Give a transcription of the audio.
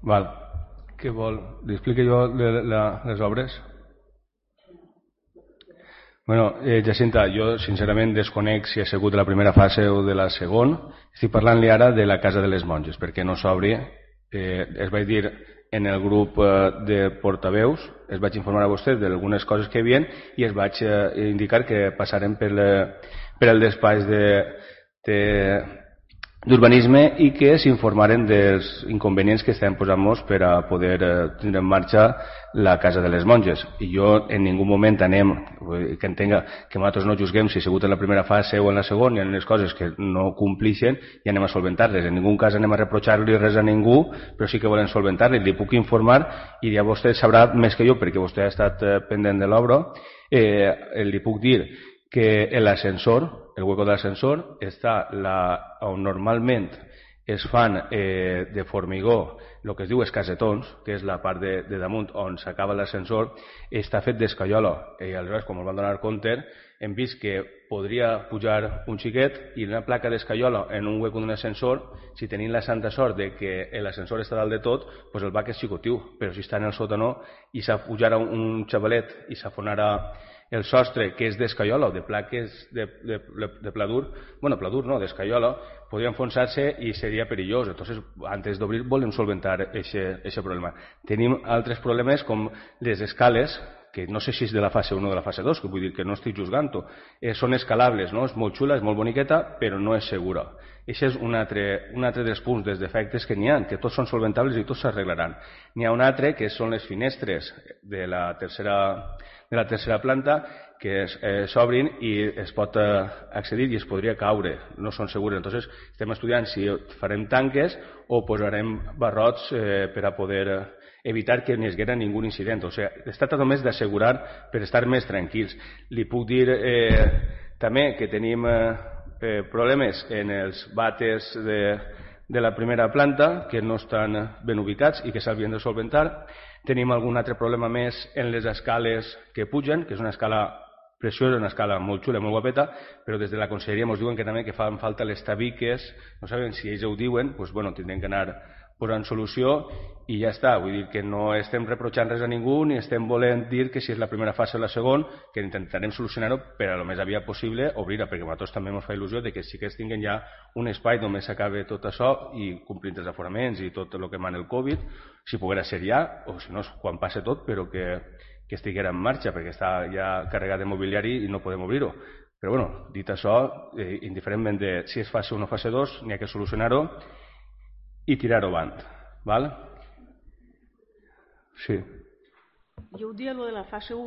Val. Què vol? Li explico jo les obres? Bueno, Jacinta, jo sincerament desconec si ha sigut de la primera fase o de la segona. Estic parlant-li ara de la Casa de les Monges, perquè no s'obri. Es vaig dir en el grup de portaveus, es vaig informar a vostè d'algunes coses que hi havia i es vaig indicar que passarem per el despatx d'urbanisme i que s'informaren dels inconvenients que estem posant-nos per a poder tenir en marxa la Casa de les Monges. I jo en ningú moment que entenga que nosaltres no juzguem si ha sigut en la primera fase o en la segona, hi ha les coses que no complixen i anem a solventar-les. En ningú cas anem a reprochar-li res a ningú, però sí que volem solventar-les. Li puc informar i ja vostè sabrà més que jo, perquè vostè ha estat pendent de l'obra. Li puc dir que l'ascensor, el hueco de l'ascensor, està on normalment es fan de formigó el que es diu escasetons, que és la part de damunt on s'acaba l'ascensor, està fet d'escaiola. I aleshores, com ens van donar compte, hem vist que podria pujar un xiquet i una placa d'escaiola en un hueco d'un ascensor, si tenim la santa sort de que l'ascensor està dalt de tot, doncs el bac és xicotiu, però si està en el sòtano i s'apujara un xavalet i s'afonara el sostre, que és d'escaiola o de plaques de pladur, bueno, pladur no, d'escaiola, podria enfonsar-se i seria perillós. Entonces, antes d'obrir volem solventar aquest problema. Tenim altres problemes com les escales, que no sé si és de la fase 1 o de la fase 2, que vull dir que no estic juzgant-ho. Són escalables, no? És molt xula, és molt boniqueta, però no és segura. Això és un altre dels punts, dels defectes que n'hi ha, que tots són solventables i tots s'arreglaran. N'hi ha un altre, que són les finestres de la tercera planta, que s'obrin i es pot accedir i es podria caure, no són segures. Entonces, estem estudiant si farem tanques o posarem barrots per a poder evitar que ni es haguera ningú incident. O sigui, es tracta només d'assegurar per estar més tranquils. Li puc dir també que tenim problemes en els vàters de la primera planta, que no estan ben ubicats i que s'havien de solventar. Tenim algun altre problema més en les escales que pugen, que és una escala preciosa, una escala molt xula, molt guapeta, però des de la conselleria ens diuen que també que fan falta les tabiques, no saben si ells ho diuen, doncs bueno, tindrem que anar posant solució i ja està. Vull dir que no estem reprochant res a ningú ni estem volent dir que si és la primera fase o la segona, que intentarem solucionar-ho per a lo més aviat possible obrir-la, perquè a nosaltres també ens fa il·lusió de que sí que es tinguin ja un espai només s'acabi tot això i complint els aforaments i tot el que mana el Covid, si poguera ser ja, o si no, quan passe tot, però que estiguera en marxa, perquè està ja carregat de mobiliari i no podem obrir-ho. Però bueno, dit això, indiferentment de si és fase 1 o fase 2, n'hi ha que solucionar-ho i tirar-ho avant. Val? Sí. Jo ho dia, lo de la fase 1